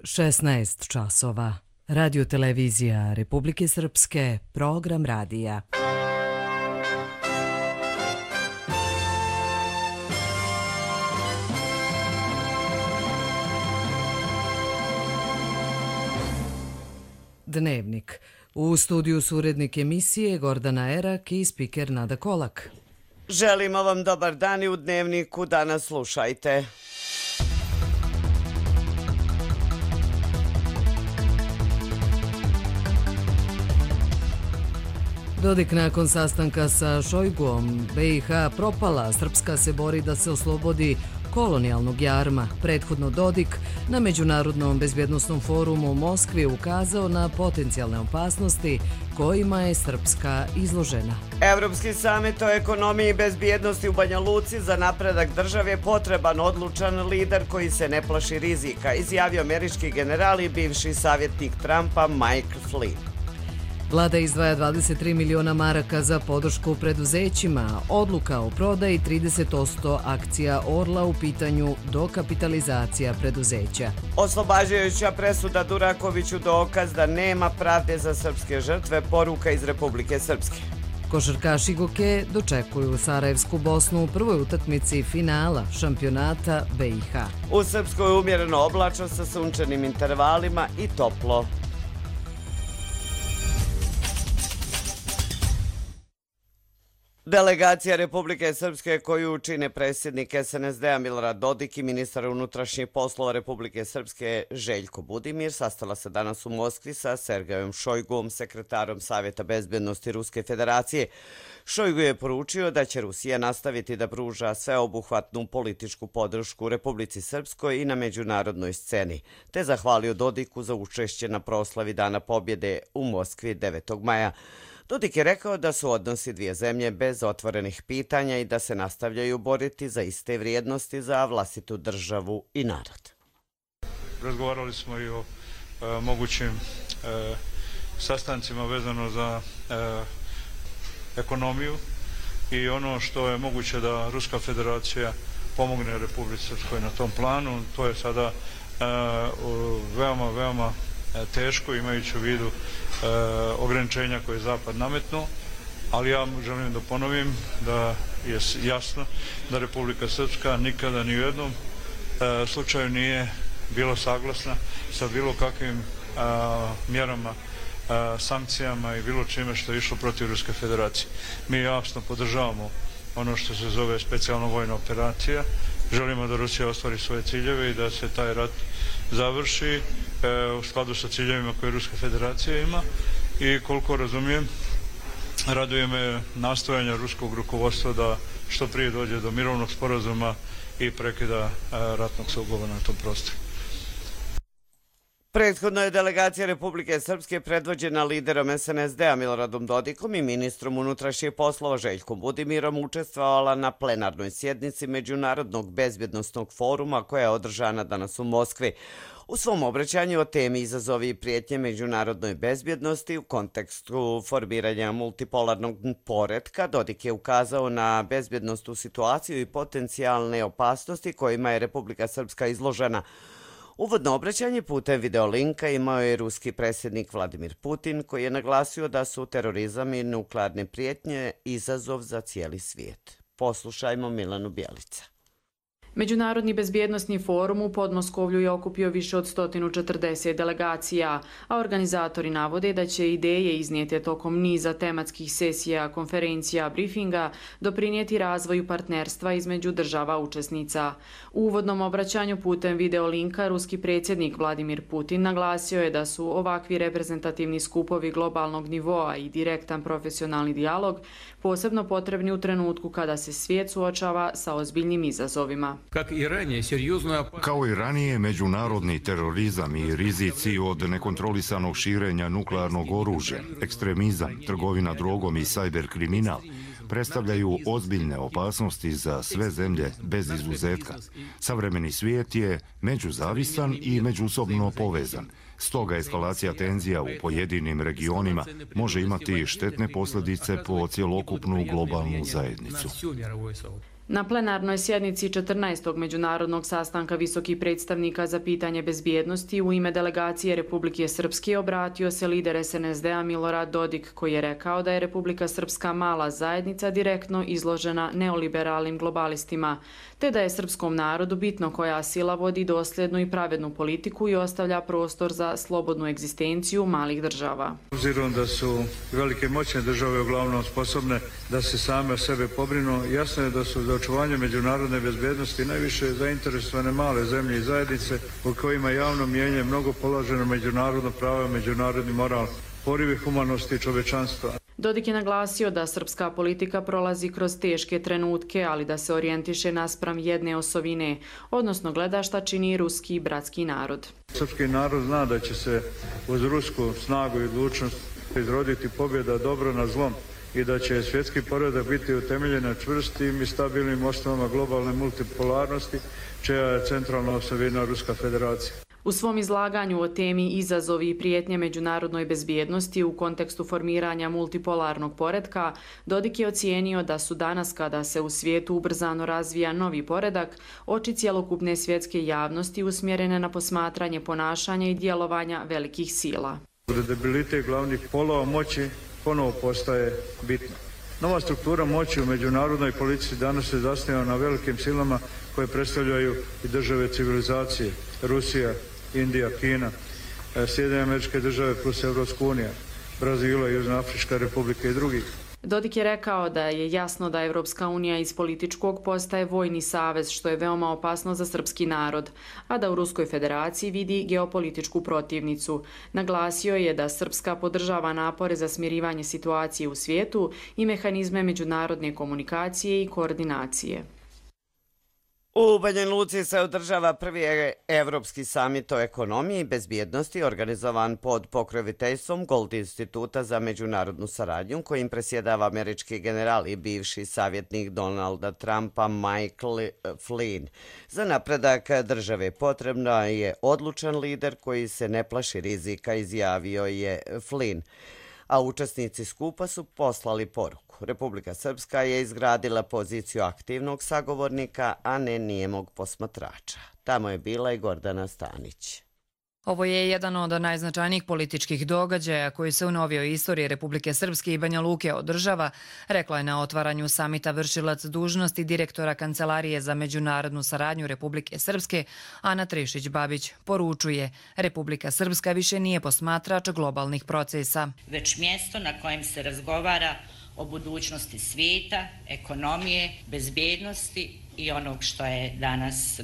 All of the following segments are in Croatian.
16 časova. Radio televizija Republike Srpske, program radija. Dnevnik. U studiju su urednik emisije Gordana Erak i spiker Nada Kolak. Želimo vam dobar dan i u Dnevniku danas slušajte. Dodik nakon sastanka sa Šojguom, BiH propala, Srpska se bori da se oslobodi kolonijalnog jarma. Prethodno Dodik na Međunarodnom bezbjednosnom forumu u Moskvi ukazao na potencijalne opasnosti kojima je Srpska izložena. Evropski samit o ekonomiji i bezbjednosti u Banja Luci za napredak države je potreban odlučan lider koji se ne plaši rizika, izjavio američki general i bivši savjetnik Trumpa Mike Flynn. Vlada izdvaja 23 miliona maraka za podršku preduzećima. Odluka o prodaji 30% akcija Orla u pitanju dokapitalizacija preduzeća. Oslobađajuća presuda Durakoviću dokaz da nema pravde za srpske žrtve, poruka iz Republike Srpske. Košarkaši Goke dočekuju Sarajevsku Bosnu u prvoj utakmici finala šampionata BiH. U Srpskoj umjereno oblačno sa sunčanim intervalima i toplo. Delegacija Republike Srpske koju čine predsjednik SNSD-a Milorad Dodik i ministar unutrašnjih poslova Republike Srpske Željko Budimir sastala se danas u Moskvi sa Sergejom Šojguom, sekretarom Savjeta bezbjednosti Ruske federacije. Šojgu je poručio da će Rusija nastaviti da pruža sveobuhvatnu političku podršku Republici Srpskoj i na međunarodnoj sceni, te zahvalio Dodiku za učešće na proslavi Dana pobjede u Moskvi 9. maja. Dodik je rekao da su odnosi dvije zemlje bez otvorenih pitanja i da se nastavljaju boriti za iste vrijednosti za vlastitu državu i narod. Razgovarali smo i o mogućim sastancima vezano za ekonomiju i ono što je moguće da Ruska federacija pomogne Republici Srpskoj na tom planu. To je sada veoma teško, imajući u vidu ograničenja koje je Zapad nametnuo, ali ja želim da ponovim da je jasno da Republika Srpska nikada ni u jednom slučaju nije bila saglasna sa bilo kakvim mjerama, sankcijama i bilo čime što je išlo protiv Ruske federacije. Mi jasno podržavamo ono što se zove specijalna vojna operacija. Želimo da Rusija ostvari svoje ciljeve i da se taj rat završi u skladu sa ciljevima koje Ruska federacija ima i koliko razumijem, raduje me nastojanja ruskog rukovodstva da što prije dođe do mirovnog sporazuma i prekida ratnog sukoba na tom prostoru. Prethodno je delegacija Republike Srpske predvođena liderom SNSD-a Miloradom Dodikom i ministrom unutrašnjih poslova Željkom Budimirom učestvovala na plenarnoj sjednici Međunarodnog bezbjednosnog foruma koja je održana danas u Moskvi. U svom obraćanju o temi izazovi i prijetnje međunarodnoj bezbjednosti u kontekstu formiranja multipolarnog poretka, Dodik je ukazao na bezbjednosnu situaciju i potencijalne opasnosti kojima je Republika Srpska izložena. Uvodno obraćanje putem videolinka imao je ruski predsjednik Vladimir Putin, koji je naglasio da su terorizam i nuklearne prijetnje izazov za cijeli svijet. Poslušajmo Milanu Bjelica. Međunarodni bezbjednosni forum u Podmoskovlju je okupio više od 140 delegacija, a organizatori navode da će ideje iznijete tokom niza tematskih sesija, konferencija, briefinga doprinijeti razvoju partnerstva između država učesnica. U uvodnom obraćanju putem videolinka ruski predsjednik Vladimir Putin naglasio je da su ovakvi reprezentativni skupovi globalnog nivoa i direktan profesionalni dijalog posebno potrebni u trenutku kada se svijet suočava sa ozbiljnim izazovima. Kao i ranije, međunarodni terorizam i rizici od nekontrolisanog širenja nuklearnog oružja, ekstremizam, trgovina drogom i sajber kriminal predstavljaju ozbiljne opasnosti za sve zemlje bez izuzetka. Savremeni svijet je međuzavisan i međusobno povezan. Stoga eskalacija tenzija u pojedinim regionima može imati štetne posljedice po cjelokupnu globalnu zajednicu. Na plenarnoj sjednici 14. međunarodnog sastanka visokih predstavnika za pitanje bezbjednosti u ime delegacije Republike Srpske obratio se lider SNSD-a Milorad Dodik, koji je rekao da je Republika Srpska mala zajednica direktno izložena neoliberalnim globalistima, te da je srpskom narodu bitno koja sila vodi dosljednu i pravednu politiku i ostavlja prostor za slobodnu egzistenciju malih država. Obzirom da su velike moćne države uglavnom sposobne da se same o sebe pobrinu, jasno je da su za očuvanje međunarodne bezbjednosti najviše zainteresovane male zemlje i zajednice u kojima javno mnijenje mnogo položeno međunarodno pravo i međunarodni moral, porivi humanosti i čovečanstva. Dodik je naglasio da srpska politika prolazi kroz teške trenutke, ali da se orijentiše naspram jedne osovine, odnosno gleda šta čini ruski bratski narod. Srpski narod zna da će se uz rusku snagu i odlučnost izroditi pobjeda dobro na zlom i da će svjetski poredak biti utemeljen na čvrstim i stabilnim osnovama globalne multipolarnosti, čija je centralna osovina Ruska federacija. U svom izlaganju o temi izazovi i prijetnje međunarodnoj bezbjednosti u kontekstu formiranja multipolarnog poretka, Dodik je ocijenio da su danas, kada se u svijetu ubrzano razvija novi poredak, oči cjelokupne svjetske javnosti usmjerene na posmatranje ponašanja i djelovanja velikih sila. Kredibilitet glavnih polova moći ponovo postaje bitno. Nova struktura moći u međunarodnoj politici danas se zasniva na velikim silama koje predstavljaju i države civilizacije, Rusija, Indija, Kina, Sjedinjene Američke Države plus Evropska unija, Brazila, Južna Afrička Republika i drugih. Dodik je rekao da je jasno da Evropska unija iz političkog postaje vojni savez, što je veoma opasno za srpski narod, a da u Ruskoj federaciji vidi geopolitičku protivnicu. Naglasio je da Srpska podržava napore za smirivanje situacije u svijetu i mehanizme međunarodne komunikacije i koordinacije. U Banja Luci se održava prvi Evropski samit o ekonomiji i bezbjednosti organizovan pod pokroviteljstvom Gold instituta za međunarodnu saradnju, kojim presjedava američki general i bivši savjetnik Donalda Trumpa Michael Flynn. Za napredak države potrebna je odlučan lider koji se ne plaši rizika, izjavio je Flynn. A učesnici skupa su poslali poruku. Republika Srpska je izgradila poziciju aktivnog sagovornika, a ne nijemog posmatrača. Tamo je bila i Gordana Stanić. Ovo je jedan od najznačajnijih političkih događaja koji se u novijoj istoriji Republike Srpske i Banja Luke održava, rekla je na otvaranju samita vršilac dužnosti direktora Kancelarije za međunarodnu saradnju Republike Srpske Ana Trišić-Babić. Poručuje, Republika Srpska više nije posmatrač globalnih procesa, već mjesto na kojem se razgovara o budućnosti svijeta, ekonomije, bezbjednosti i onog što je danas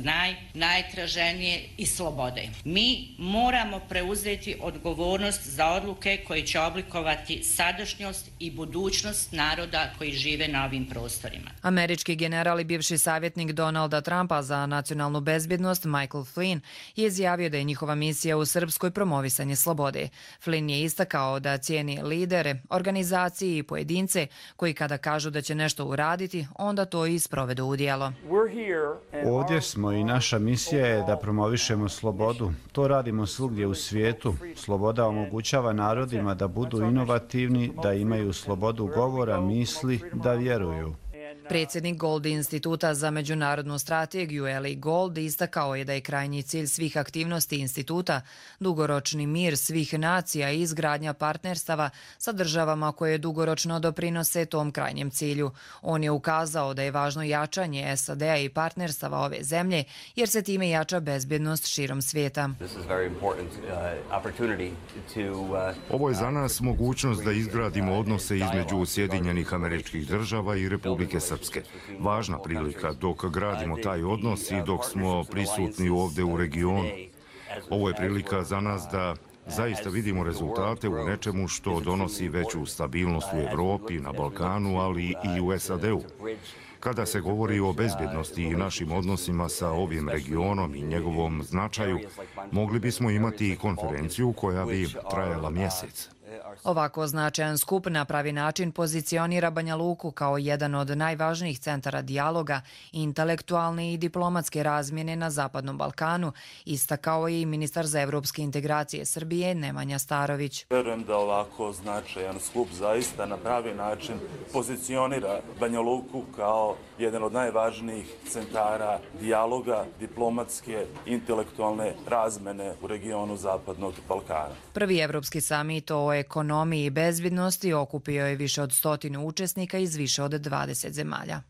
najtraženije i slobode. Mi moramo preuzeti odgovornost za odluke koje će oblikovati sadašnjost i budućnost naroda koji žive na ovim prostorima. Američki general i bivši savjetnik Donalda Trumpa za nacionalnu bezbjednost Michael Flynn je izjavio da je njihova misija u Srpskoj promovisanje slobode. Flynn je istakao da cijeni lidere, organizacije i pojedince koji kada kažu da će nešto uraditi, onda to i sprovedu u djelo. Ovdje smo i naša misija je da promovišemo slobodu. To radimo svugdje u svijetu. Sloboda omogućava narodima da budu inovativni, da imaju slobodu govora, misli, da vjeruju. Predsjednik Gold instituta za međunarodnu strategiju Eli Gold istakao je da je krajnji cilj svih aktivnosti instituta dugoročni mir svih nacija i izgradnja partnerstava sa državama koje dugoročno doprinose tom krajnjem cilju. On je ukazao da je važno jačanje SAD-a i partnerstava ove zemlje jer se time jača bezbjednost širom svijeta. Ovo je za nas mogućnost da izgradimo odnose između Sjedinjenih Američkih Država i Republike Srpske. Važna prilika dok gradimo taj odnos i dok smo prisutni ovdje u regionu. Ovo je prilika za nas da zaista vidimo rezultate u nečemu što donosi veću stabilnost u Evropi, na Balkanu, ali i u SAD-u. Kada se govori o bezbjednosti i našim odnosima sa ovim regionom i njegovom značaju, mogli bismo imati i konferenciju koja bi trajala mjesec. Ovako značajan skup na pravi način pozicionira Banja Luku kao jedan od najvažnijih centara dijaloga, intelektualne i diplomatske razmjene na Zapadnom Balkanu, istakao je i ministar za evropske integracije Srbije Nemanja Starović. Verujem da ovako značajan skup zaista na pravi način pozicionira Banja Luku kao jedan od najvažnijih centara dijaloga, diplomatske, intelektualne razmene u regionu Zapadnog Balkana. Prvi evropski samit o ekonomiji i bezbednosti okupio je više od 100 učesnika iz više od 20 zemalja.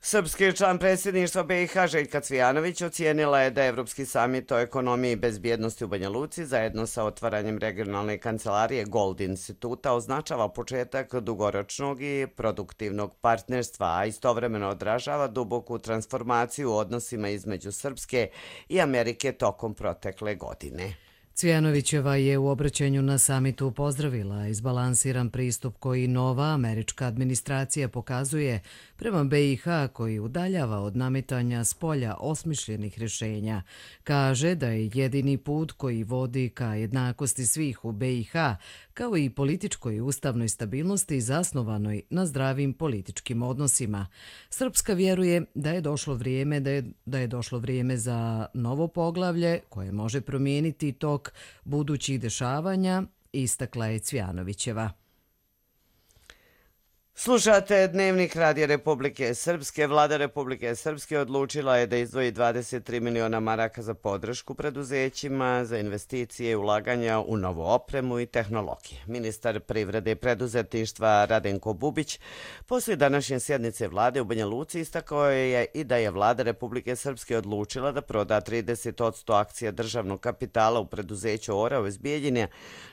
Srpski član predsjedništva BiH Željka Cvijanović ocijenila je da Evropski samit o ekonomiji i bezbjednosti u Banja Luci zajedno sa otvaranjem regionalne kancelarije Gold instituta označava početak dugoročnog i produktivnog partnerstva, a istovremeno odražava duboku transformaciju u odnosima između Srpske i Amerike tokom protekle godine. Cvijanovićeva je u obraćanju na samitu pozdravila izbalansiran pristup koji nova američka administracija pokazuje prema BiH, koji udaljava od nametanja s polja osmišljenih rješenja. Kaže da je jedini put koji vodi ka jednakosti svih u BiH, kao i političkoj i ustavnoj stabilnosti zasnovanoj na zdravim političkim odnosima. Srpska vjeruje da je došlo vrijeme za novo poglavlje koje može promijeniti tok budućih dešavanja, istakla je Cvijanovićeva. Slušate Dnevnik Radija Republike Srpske. Vlada Republike Srpske odlučila je da izdvoji 23 miliona maraka za podršku preduzećima, za investicije i ulaganja u novu opremu i tehnologije. Ministar privrede i preduzetništva Radenko Bubić poslije današnje sjednice vlade u Banja Luci istakao je i da je Vlada Republike Srpske odlučila da proda 30% akcija državnog kapitala u preduzeću Orao iz Bijeljine,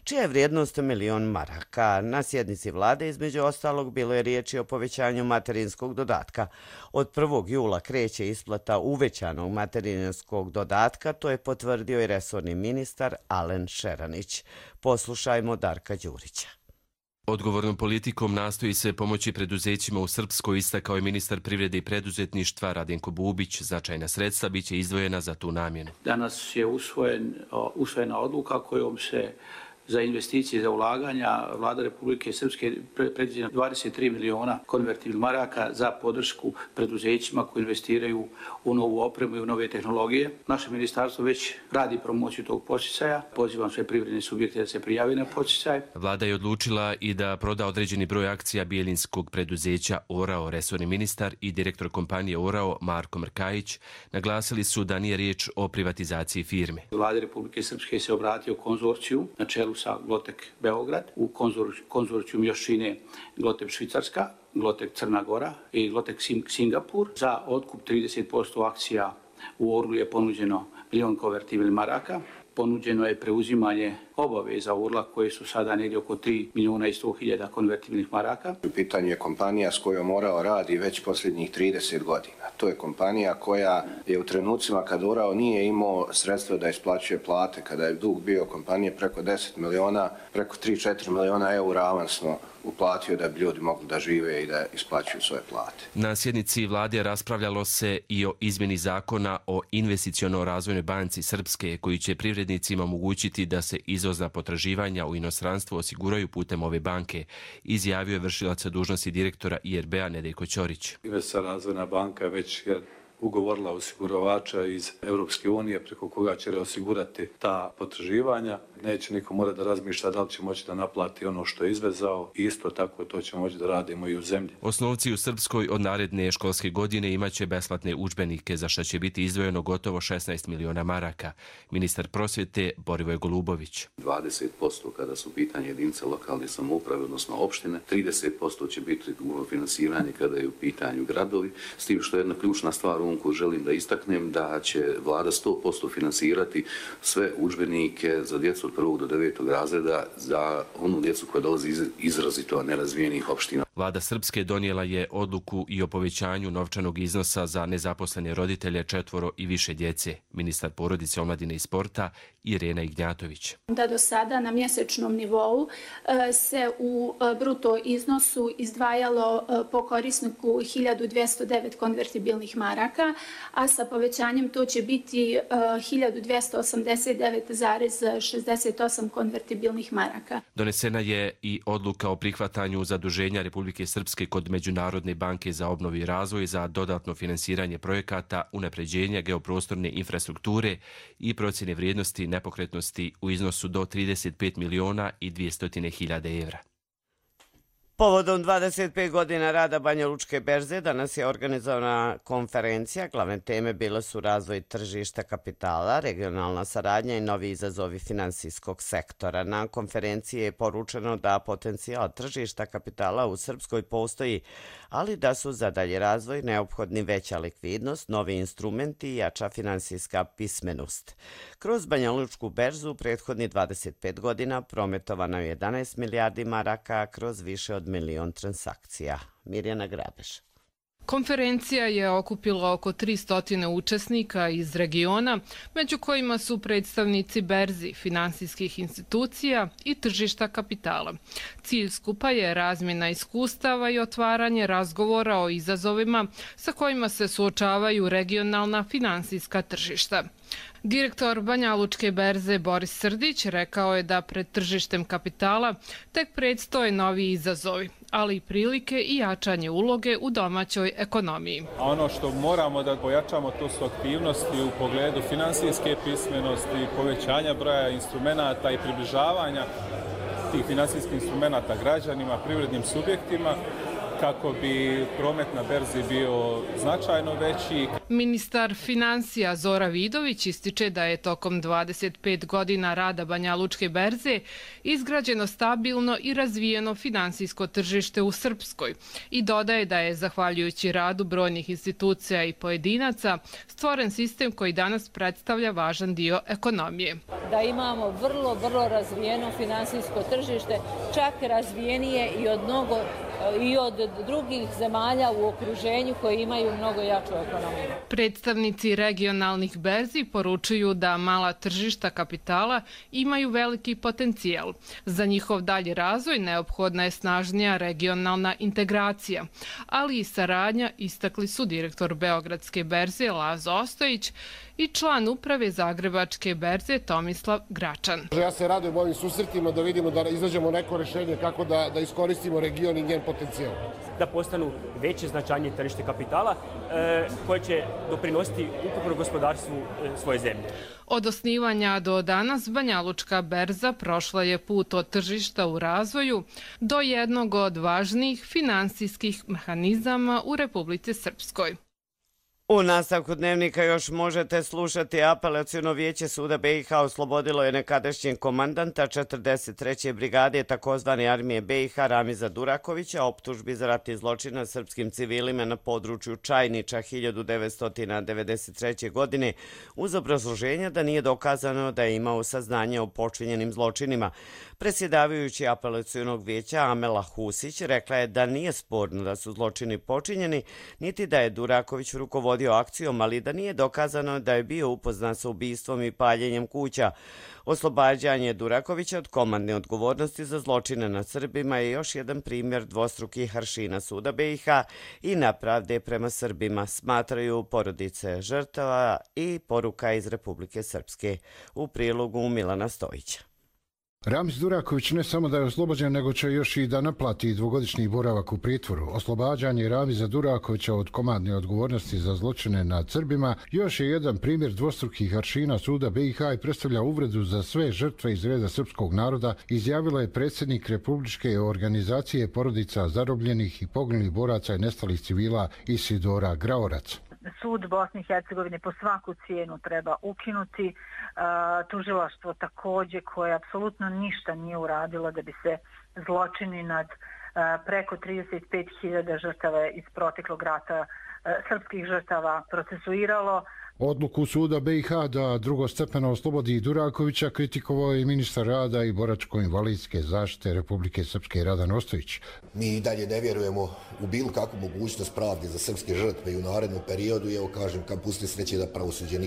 čija je vrijednost $1.000.000. Na sjednici vlade između ostalog bilo je riječ o povećanju materinskog dodatka. Od 1. jula kreće isplata uvećanog materinskog dodatka, to je potvrdio i resorni ministar Alen Šeranić. Poslušajmo Darka Đurića. Odgovornom politikom nastoji se pomoći preduzećima u Srpskoj, istakao je ministar privrede i preduzetništva Radenko Bubić. Značajna sredstva biće izdvojena za tu namjenu. Danas je usvojena odluka kojom se za investicije, za ulaganja Vlada Republike Srpske predviđa 23 miliona konvertibilnih maraka za podršku preduzećima koji investiraju u novu opremu i u nove tehnologije. Naše ministarstvo već radi promociju tog podsticaja. Pozivam sve privredne subjekte da se prijave na podsticaj. Vlada je odlučila i da proda određeni broj akcija bijeljinskog preduzeća Orao. Resorni ministar i direktor kompanije Orao Marko Mrkajić naglasili su da nije riječ o privatizaciji firme. Vlada Republike Srpske se obratio konzorciju na čelu sa Glotek Beograd. U konzorcijum još čine Glotek Švicarska, Glotek Crna Gora i Glotek Singapur. Za otkup 30% akcija u Orlu je ponuđeno 1 milion konvertibilnih maraka. Ponuđeno je preuzimanje obaveza Orla koje su sada negdje oko 3.100.000 konvertibilnih maraka. U pitanju je kompanija s kojom Orao radi već posljednjih 30 godina. To je kompanija koja je u trenucima kad Orao nije imao sredstva da isplaćuje plate, kada je dug bio kompanije preko 10 miliona, preko 3-4 miliona eura avansno uplatio da bi ljudi mogli da žive i da isplaćuju svoje plate. Na sjednici vlade raspravljalo se i o izmjeni zakona o investiciono-razvojnoj banci Srpske, koji će privrednicima omogućiti da se izvozna potraživanja u inostranstvu osiguraju putem ove banke, izjavio je vršilac dužnosti direktora IRB-a Nedeljko Ćorić. Investiciono-razvojna banka je već ugovorila osiguravača iz Europske unije preko koga će osigurati ta potraživanja. Neće niko morati da razmišlja da li će moći da naplati ono što je izvezao i isto tako to će moći da radimo i u zemlji. Osnovci u Srpskoj od naredne školske godine imaće besplatne udžbenike, za što će biti izdvojeno gotovo 16 miliona maraka. Ministar prosvjete Borivoj Golubović. 20% kada su pitanje jedinice lokalne samouprave, odnosno opštine, 30% će biti finansiranje kada je u pitanju gradovi, s tim što je jedna ključna stvar koju želim da istaknem, da će vlada 100% finansirati sve udžbenike za djecu od 1. do 9. razreda za onu djecu koja dolazi iz izrazito nerazvijenih opština. Vlada Srpske donijela je odluku i o povećanju novčanog iznosa za nezaposlene roditelje 4 i više djece. Ministar porodice, omladine i sporta Irena Ignjatović. Da do sada na mjesečnom nivou se u bruto iznosu izdvajalo po korisniku 1209 konvertibilnih maraka, a sa povećanjem to će biti 1289,68 konvertibilnih maraka. Donesena je i odluka o prihvatanju zaduženja Republike Srpske kod Međunarodne banke za obnovu i razvoj za dodatno finansiranje projekata unapređenja geoprostorne infrastrukture i procjene vrijednosti nepokretnosti u iznosu do 35.200.000 evra. Povodom 25 godina rada Banja Lučke berze danas je organizovana konferencija. Glavne teme bile su razvoj tržišta kapitala, regionalna saradnja i novi izazovi finansijskog sektora. Na konferenciji je poručeno da potencijal tržišta kapitala u Srpskoj postoji, ali da su za dalji razvoj neophodni veća likvidnost, novi instrumenti i jača finansijska pismenost. Kroz Banja Lučku berzu prethodni 25 godina prometovano je 11 milijardi maraka kroz više od 1 milion transakcija. Mirjana Grabeš. Konferencija je okupila oko 300 učesnika iz regiona, među kojima su predstavnici berzi, finansijskih institucija i tržišta kapitala. Cilj skupa je razmjena iskustava i otvaranje razgovora o izazovima sa kojima se suočavaju regionalna finansijska tržišta. Direktor Banja Lučke berze Boris Srdić rekao je da pred tržištem kapitala tek predstoje novi izazovi, ali i prilike i jačanje uloge u domaćoj ekonomiji. Ono što moramo da pojačamo to su aktivnosti u pogledu finansijske pismenosti, povećanja broja instrumenata i približavanja tih finansijskih instrumenata građanima, privrednim subjektima, kako bi promet na berzi bio značajno veći. Ministar financija Zora Vidović ističe da je tokom 25 godina rada Banja Lučke berze izgrađeno stabilno i razvijeno finansijsko tržište u Srpskoj i dodaje da je, zahvaljujući radu brojnih institucija i pojedinaca, stvoren sistem koji danas predstavlja važan dio ekonomije. Da imamo vrlo razvijeno finansijsko tržište, čak razvijenije i od drugih zemalja u okruženju koji imaju mnogo jaču ekonomiju. Predstavnici regionalnih berzi poručuju da mala tržišta kapitala imaju veliki potencijal. Za njihov dalji razvoj neophodna je snažnija regionalna integracija, ali i saradnja, istakli su direktor Beogradske berze Lazo Ostojić i član uprave Zagrebačke berze Tomislav Gračan. Ja se radujem ovim susretima da vidimo da izađemo neko rešenje kako da iskoristimo region i njen potencijal. Da postanu veće značajnije tržište kapitala koje će doprinositi ukupnom gospodarstvu svoje zemlje. Od osnivanja do danas Banja Lučka berza prošla je put od tržišta u razvoju do jednog od važnijih finansijskih mehanizama u Republici Srpskoj. U nastavku dnevnika još možete slušati apelaciono vijeće suda BiH oslobodilo je nekadašnjeg komandanta 43. brigade takozvane armije BiH Ramiza Durakovića optužbi za ratni zločin nad srpskim civilima na području Čajniča 1993. godine uz obrazloženje da nije dokazano da je imao saznanje o počinjenim zločinima. Predsjedavajući apelacionog vijeća Amela Husić rekla je da nije sporno da su zločini počinjeni, niti da je Duraković rukovodio akcijom, ali da nije dokazano da je bio upoznat sa ubistvom i paljenjem kuća. Oslobađanje Durakovića od komandne odgovornosti za zločine nad Srbima je još jedan primjer dvostrukih aršina suda BiH i nepravde prema Srbima, smatraju porodice žrtava i poruka iz Republike Srpske. U prilogu Milana Stojića. Ramiz Duraković ne samo da je oslobođen, nego će još i da naplati dvogodišnji boravak u pritvoru. Oslobađanje Ramiza Durakovića od komandne odgovornosti za zločine nad Srbima još je jedan primjer dvostrukih aršina suda BiH i predstavlja uvredu za sve žrtve iz reda srpskog naroda, izjavila je predsjednik Republičke organizacije porodica zarobljenih i poginulih boraca i nestalih civila Isidora Graorac. Sud Bosne i Hercegovine po svaku cijenu treba ukinuti, tužilaštvo također koje apsolutno ništa nije uradilo da bi se zločini nad preko 35.000 žrtava iz proteklog rata srpskih žrtava procesuiralo. Odluku suda BiH da drugostepeno oslobodi Durakovića kritikovao je ministar rada i boračko-invalidske zaštite Republike Srpske Radan Ostojić. Mi i dalje ne vjerujemo u bilo kakvu mogućnost pravde za srpske žrtve i u narednom periodu. I evo kažem, kam pusti sreće da pravosuđe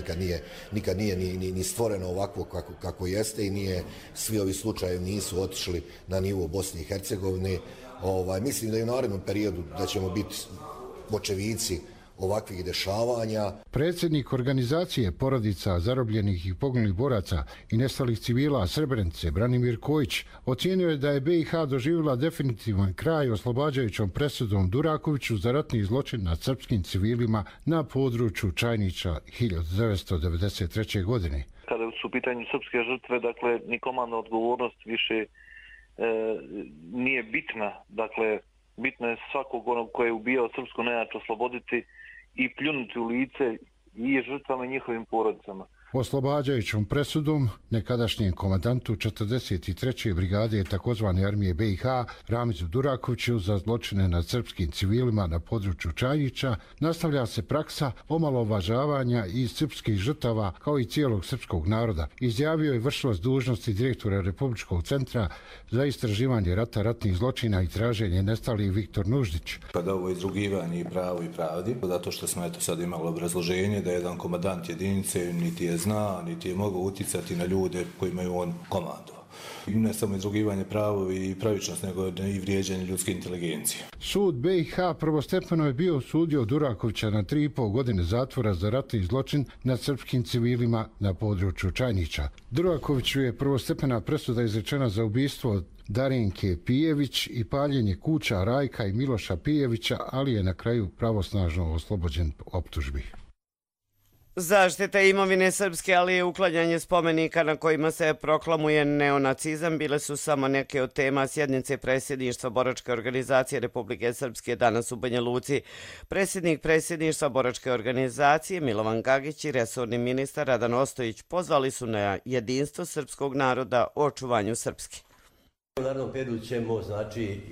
nikad nije ni stvoreno ovako kako jeste i nije, svi ovi slučajevi nisu otišli na nivo Bosne i Hercegovine. Mislim da i u narednom periodu da ćemo biti očevici ovakvih dešavanja. Predsjednik organizacije porodica zarobljenih i poginulih boraca i nestalih civila Srebrenice, Branimir Kojić, ocijenio je da je BiH doživjela definitivan kraj oslobađajućom presudom Durakoviću za ratni zločin nad srpskim civilima na području Čajnića 1993. godine. Kada su u pitanju srpske žrtve, dakle, ni komandna odgovornost više nije bitna. Dakle, bitno je svakog onog koji je ubijao srpsku nejač osloboditi i pljunuti u lice i žrtvama i njihovim porodicama. Oslobađajućom presudom nekadašnjem komandantu 43. brigade takozvane armije BiH Ramizu Durakoviću za zločine nad srpskim civilima na području Čajnića nastavlja se praksa omalovažavanja i srpskih žrtava kao i cijelog srpskog naroda, izjavio je vršilac dužnosti direktora Republičkog centra za istraživanje rata, ratnih zločina i traženje nestalih Viktor Nuždić. Kada ovo izrugivanje i pravo i pravdi, zato što smo sad imali obrazloženje da jedan komandant jedinice niti je zna, niti je mogao uticati na ljude kojima je on komandovao. Ne samo izrugivanje pravo i pravičnost, nego i vrijeđanje ljudske inteligencije. Sud BiH prvostepeno je bio osudio Durakovića na 3,5 godine zatvora za ratni zločin nad srpskim civilima na području Čajnića. Durakoviću je prvostepena presuda izrečena za ubistvo Darinke Pijević i paljenje kuća Rajka i Miloša Pijevića, ali je na kraju pravosnažno oslobođen optužbi. Zaštita imovine srpske, ali i uklanjanje spomenika na kojima se proklamuje neonacizam bile su samo neke od tema sjednice predsjedništva Boračke organizacije Republike Srpske danas u Banja Luci. Predsjednik predsjedništva Boračke organizacije Milovan Gagić i resorni ministar Radan Ostojić pozvali su na jedinstvo srpskog naroda u očuvanju Srpske. U narednom periodu ćemo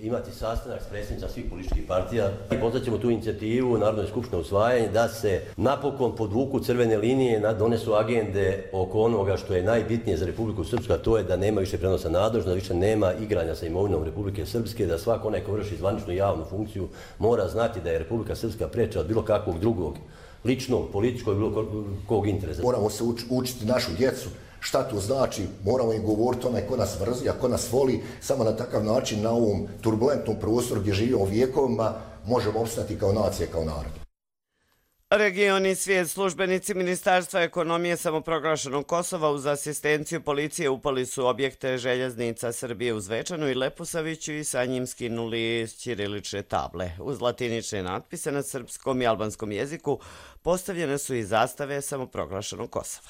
imati sastanak s predsjednicima svih političkih partija i pozvaćemo tu inicijativu Narodnoj skupštini usvajanje da se napokon podvuku crvene linije, donesu agende oko onoga što je najbitnije za Republiku Srpsku, a to je da nema više prenosa nadležnosti, da više nema igranja sa imovinom Republike Srpske, da svako onaj ko vrši zvaničnu javnu funkciju mora znati da je Republika Srpska preča od bilo kakvog drugog ličnog, političkog i bilo kog interesa. Moramo se učiti našu djecu. Šta to znači? Moramo im govoriti onaj ko nas mrzi, a ko nas voli. Samo na takav način na ovom turbulentnom prostoru gdje živimo vjekovima možemo opstati kao nacija, kao narod. Region i svijet, službenici Ministarstva ekonomije samoproglašenog Kosova uz asistenciju policije upali su objekte željeznica Srbije u Zvečanu i Leposaviću i sa njim skinuli ćirilične table. Uz latinične natpise na srpskom i albanskom jeziku postavljene su i zastave samoproglašenog Kosova.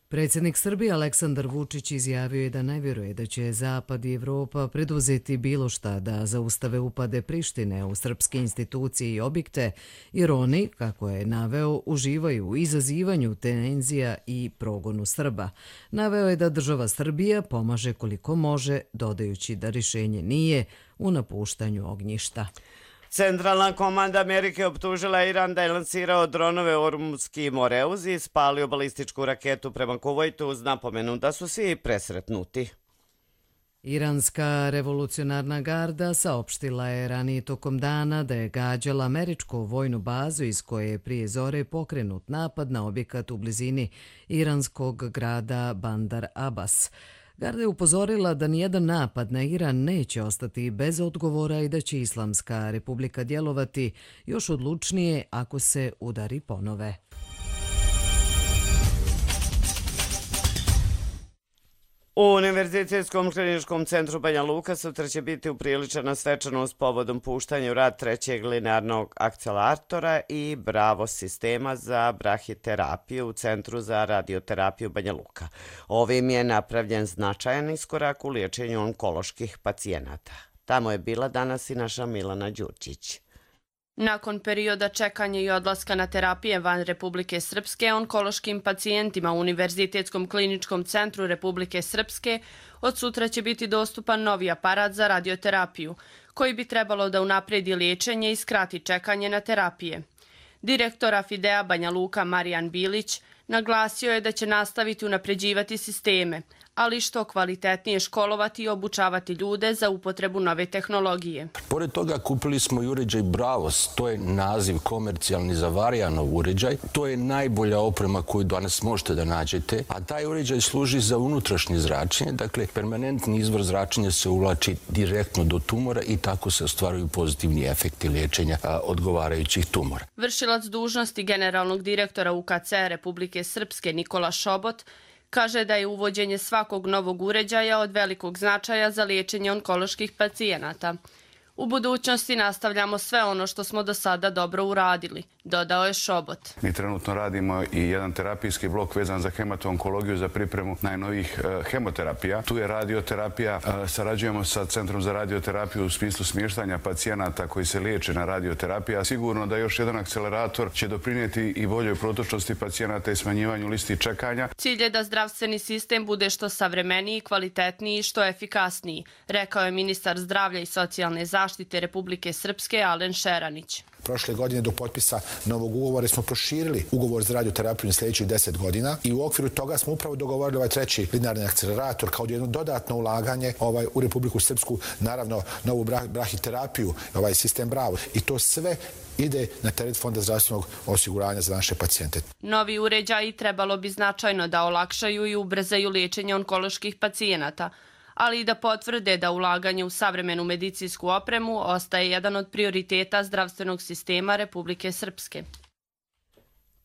Predsjednik Srbije Aleksandar Vučić izjavio je da ne vjeruje da će Zapad i Evropa preduzeti bilo šta da zaustave upade Prištine u srpske institucije i objekte, jer oni, kako je naveo, uživaju u izazivanju tenzija i progonu Srba. Naveo je da država Srbija pomaže koliko može, dodajući da rješenje nije u napuštanju ognjišta. Centralna komanda Amerike optužila Iran da je lansirao dronove Ormuzski Moreuz i spalio balističku raketu prema Kuvajtu uz napomenu da su svi presretnuti. Iranska revolucionarna garda saopštila je ranije tokom dana da je gađala američku vojnu bazu iz koje je prije zore pokrenut napad na objekat u blizini iranskog grada Bandar Abbas. Garda je upozorila da nijedan napad na Iran neće ostati bez odgovora i da će Islamska republika djelovati još odlučnije ako se udari ponove. U Univerzitetskom kliničkom centru Banja Luka sutra će biti upriličena svečanost povodom puštanja u rad trećeg linearnog akceleratora i Bravo sistema za brahiterapiju u Centru za radioterapiju Banja Luka. Ovim je napravljen značajan iskorak u liječenju onkoloških pacijenata. Tamo je bila danas i naša Milana Đurčić. Nakon perioda čekanja i odlaska na terapije van Republike Srpske, onkološkim pacijentima u Univerzitetskom kliničkom centru Republike Srpske od sutra će biti dostupan novi aparat za radioterapiju, koji bi trebalo da unapredi liječenje i skrati čekanje na terapije. Direktor Afidea Banja Luka Marijan Bilić naglasio je da će nastaviti unapređivati sisteme, ali što kvalitetnije školovati i obučavati ljude za upotrebu nove tehnologije. Pored toga kupili smo i uređaj Bravos, to je naziv komercijalni za Varijanov uređaj. To je najbolja oprema koju danas možete da nađete, a taj uređaj služi za unutrašnje zračenje, dakle permanentni izvor zračenja se uvlači direktno do tumora i tako se ostvaruju pozitivni efekti liječenja odgovarajućih tumora. Vršilac dužnosti generalnog direktora UKC Republike Srpske Nikola Šobot kaže da je uvođenje svakog novog uređaja od velikog značaja za liječenje onkoloških pacijenata. U budućnosti nastavljamo sve ono što smo do sada dobro uradili, dodao je Šobot. Mi trenutno radimo i jedan terapijski blok vezan za hemato-onkologiju za pripremu najnovijih hemoterapija. Tu je radioterapija, sarađujemo sa Centrom za radioterapiju u smislu smještanja pacijenata koji se liječe na radioterapija. Sigurno da još jedan akcelerator će doprinijeti i boljoj protočnosti pacijenata i smanjivanju listi čekanja. Cilj je da zdravstveni sistem bude što savremeniji, kvalitetniji i što efikasniji, rekao je ministar zdravlja i socijalne zaštite Republike Srpske Alen Šeranić. Prošle godine do potpisa novog ugovora smo proširili ugovor za radioterapiju na sljedećih 10 godina i u okviru toga smo upravo dogovorili ovaj treći linearni akcelerator kao jedno dodatno ulaganje u Republiku Srpsku, naravno novu brahiterapiju, ovaj sistem Bravo. I to sve ide na teret Fonda zdravstvenog osiguranja za naše pacijente. Novi uređaji trebalo bi značajno da olakšaju i ubrzaju liječenje onkoloških pacijenata, ali i da potvrde da ulaganje u savremenu medicinsku opremu ostaje jedan od prioriteta zdravstvenog sistema Republike Srpske.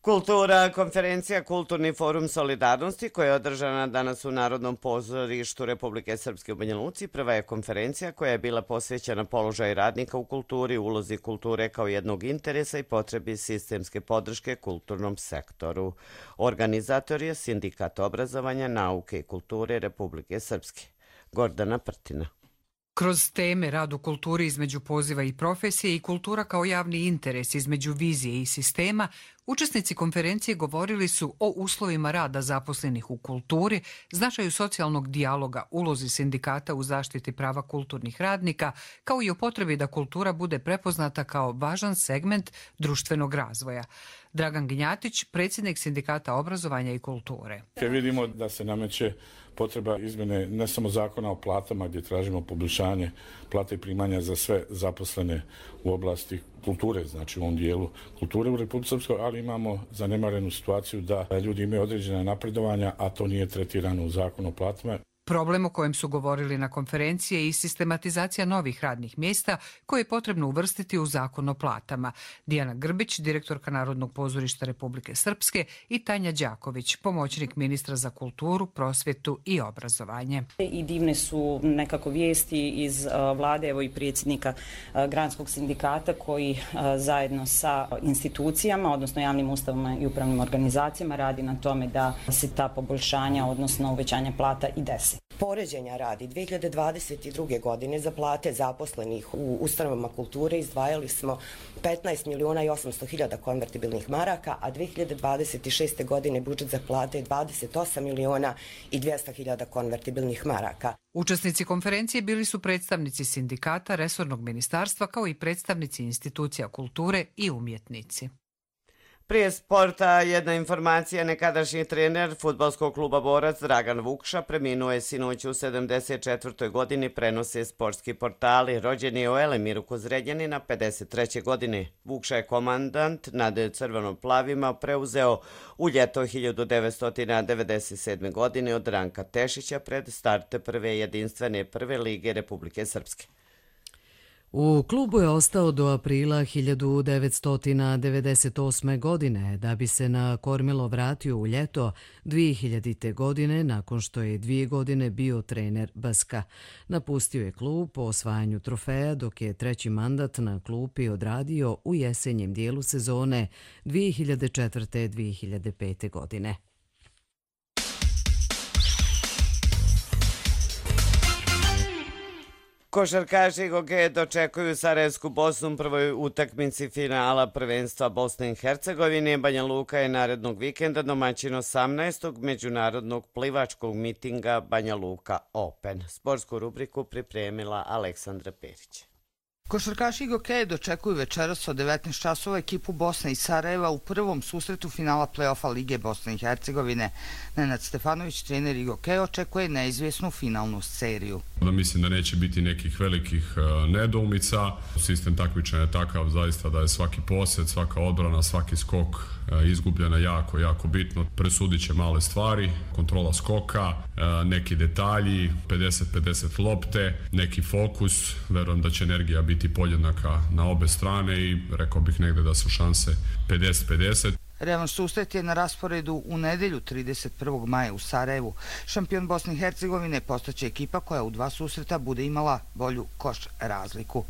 Kultura, konferencija Kulturni forum solidarnosti koja je održana danas u Narodnom pozorištu Republike Srpske u Banja Luci. Prva je konferencija koja je bila posvećena položaju radnika u kulturi, ulozi kulture kao jednog interesa i potrebi sistemske podrške kulturnom sektoru. Organizator je Sindikat obrazovanja, nauke i kulture Republike Srpske. Gordana Prtina. Kroz teme rad u kulturi između poziva i profesije i kultura kao javni interes između vizije i sistema, učesnici konferencije govorili su o uslovima rada zaposlenih u kulturi, značaju socijalnog dijaloga, ulozi sindikata u zaštiti prava kulturnih radnika, kao i o potrebi da kultura bude prepoznata kao važan segment društvenog razvoja. Dragan Ginjatić, predsjednik Sindikata obrazovanja i kulture. Vidimo da se nameće potreba izmjene ne samo zakona o platama gdje tražimo poboljšanje plata i primanja za sve zaposlene u oblasti kulture, znači u ovom dijelu kulture u Republici Srpskoj, ali imamo zanemarenu situaciju da ljudi imaju određena napredovanja, a to nije tretirano u zakonu o platama. Problem o kojem su govorili na konferenciji je i sistematizacija novih radnih mjesta koje je potrebno uvrstiti u zakon o platama. Dijana Grbić, direktorka Narodnog pozorišta Republike Srpske, i Tanja Đaković, pomoćnik ministra za kulturu, prosvjetu i obrazovanje. I divne su nekako vijesti iz vlade, evo i predsjednika Granskog sindikata koji zajedno sa institucijama, odnosno javnim ustavama i upravnim organizacijama radi na tome da se ta poboljšanja, odnosno uvećanja plata i desi. Poređenja radi 2022. godine za plate zaposlenih u ustanovama kulture izdvajali smo 15.800.000 konvertibilnih maraka, a 2026. godine budžet za plate je 28.200.000 konvertibilnih maraka. Učesnici konferencije bili su predstavnici sindikata, resornog ministarstva, kao i predstavnici institucija kulture i umjetnici. Prije sporta jedna informacija, nekadašnji trener fudbalskog kluba Borac Dragan Vukša preminuo je sinoć u 74. godini, prenose sportski portali. Rođen je u Elemiru kod Zrenjanina 53. godine. Vukša je komandant nad crveno-plavima preuzeo u ljeto 1997. godine od Ranka Tešića pred start prve jedinstvene prve lige Republike Srpske. U klubu je ostao do aprila 1998. godine, da bi se na kormilo vratio u ljeto 2000. godine nakon što je 2 godine bio trener BSK. Napustio je klub po osvajanju trofeja, dok je treći mandat na klupi odradio u jesenjem dijelu sezone 2004-2005. godine. Košarkaši Goge dočekuju Sarajevsku Bosnu u prvoj utakmici finala prvenstva Bosne i Hercegovine. Banja Luka je narednog vikenda domaćin 18. međunarodnog plivačkog mitinga Banja Luka Open. Sportsku rubriku pripremila Aleksandra Perić. Košarkaši Gokeje dočekuju večeras od 19 časova ekipu Bosne i Sarajeva u prvom susretu finala play-offa Lige Bosne i Hercegovine. Nenad Stefanović, trener Gokeje, očekuje neizvjesnu finalnu seriju. Mislim da neće biti nekih velikih nedoumica. Sistem takmičenja je takav zaista da je svaki posjed, svaka odbrana, svaki skok izgubljena jako bitno. Presudit će male stvari, kontrola skoka, neki detalji, 50-50 lopte, neki fokus. Verujem da će energija biti podjednaka na obe strane i rekao bih negdje da su šanse 50-50. Revanš susret je na rasporedu u nedjelju 31. maja u Sarajevu. Šampion Bosne i Hercegovine postaće ekipa koja u dva susreta bude imala bolju koš razliku.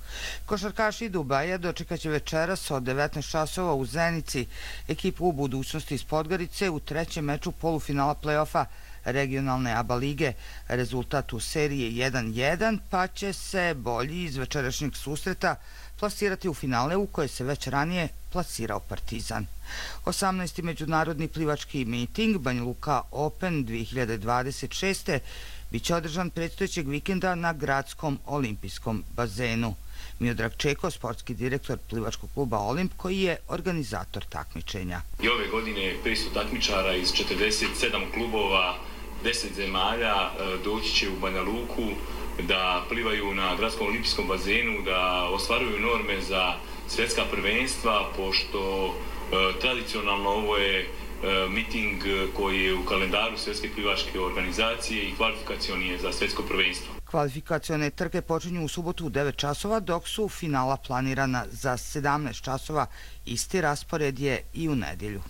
Košarkaši Dubaja dočekaće večeras od 19 časova u Zenici ekipu u budućnosti iz Podgorice u trećem meču polufinala play-offa regionalne ABA lige. Rezultat u seriji je 1-1, pa će se bolji iz večerašnjeg susreta plasirati u finale u koje se već ranije plasirao Partizan. 18. međunarodni plivački miting Banja Luka Open 2026. biće održan predstojećeg vikenda na gradskom olimpijskom bazenu. Miodrag Čeko, sportski direktor plivačkog kluba Olimp, koji je organizator takmičenja. I ove godine 500 takmičara iz 47 klubova, 10 zemalja doći će u Banja Luku da plivaju na gradskom olimpijskom bazenu, da ostvaruju norme za svjetska prvenstva, pošto tradicionalno ovo je miting koji je u kalendaru Svjetske plivačke organizacije i kvalifikacioni je za svjetsko prvenstvo. Kvalifikacione trke počinju u subotu u 9 časova, dok su finala planirana za 17 časova. Isti raspored je i u nedjelju.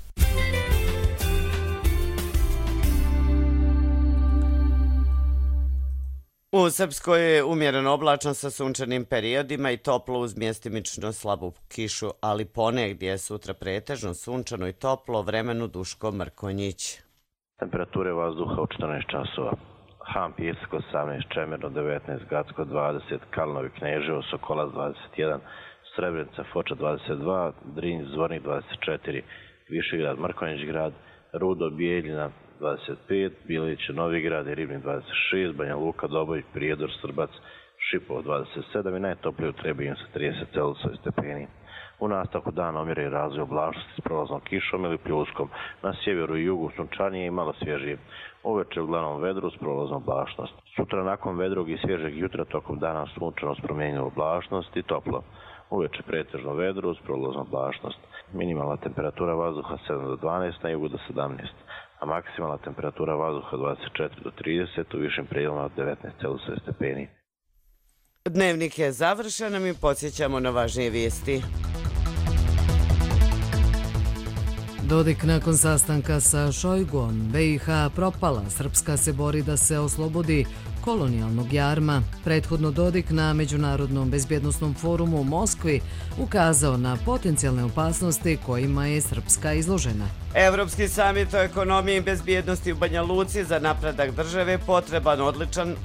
U Srpskoj je umjereno oblačno sa sunčanim periodima i toplo uz mjestimično slabu kišu, ali ponegdje je sutra pretežno sunčano i toplo, vremenu Duško Mrkonjić. Temperature vazduha u 14 časova. Han, Pijesak 18, Čemerno 19, Gacko 20, Kalnovi, Kneževo, Sokolac 21, Srebrenica, Foča 22, Drinj, Zvornik 24, Višegrad, Mrkonjić grad, Rudo, Bijeljina 25, Bilić, Novigrad i Ribnik 26, Banja Luka, Doboj, Prijedor, Srbac, Šipov 27 i najtoplije u Trebinju sa 30 stepeni. U nastavku dana umjeren razvoj oblačnosti s prolaznom kišom ili pljuskom, na sjeveru i jugu sunčanije i malo svježije. Uveče uglavnom vedru s prolaznom oblačnost. Sutra nakon vedrog i svježeg jutra tokom dana sunčano s promijenjenom oblačnost i toplo. Uveče pretežno vedru s prolaznom oblačnost. Minimalna temperatura vazduha 7 do 12, na jugu do 17, a maksimalna temperatura vazduha 24 do 30, u višim prijelima od 19 stepeni. Dnevnik je završen, mi podsjećamo na važnije vijesti. Dodik nakon sastanka sa Šojgom, BiH propala, Srpska se bori da se oslobodi kolonijalnog jarma. Prethodno Dodik na Međunarodnom bezbjednosnom forumu u Moskvi ukazao na potencijalne opasnosti kojima je Srpska izložena. Evropski samit o ekonomiji i bezbjednosti u Banja Luci za napredak države potreban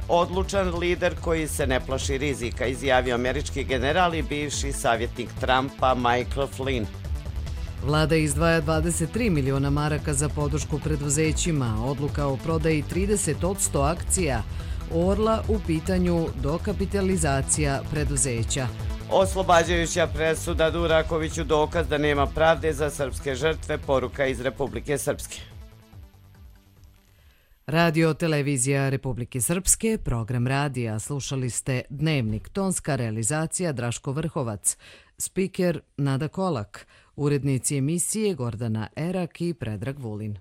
odlučan lider koji se ne plaši rizika, izjavio američki general i bivši savjetnik Trumpa Michael Flynn. Vlada izdvaja 23 miliona maraka za podršku preduzećima, odluka o prodaji 30% akcija Orla u pitanju dokapitalizacija preduzeća. Oslobađajuća presuda Durakoviću dokaz da nema pravde za srpske žrtve, poruka iz Republike Srpske. Radio televizija Republike Srpske, program radija, slušali ste Dnevnik, tonska realizacija Draško Vrhovac, spiker Nada Kolak, urednici emisije Gordana Erak i Predrag Vulin.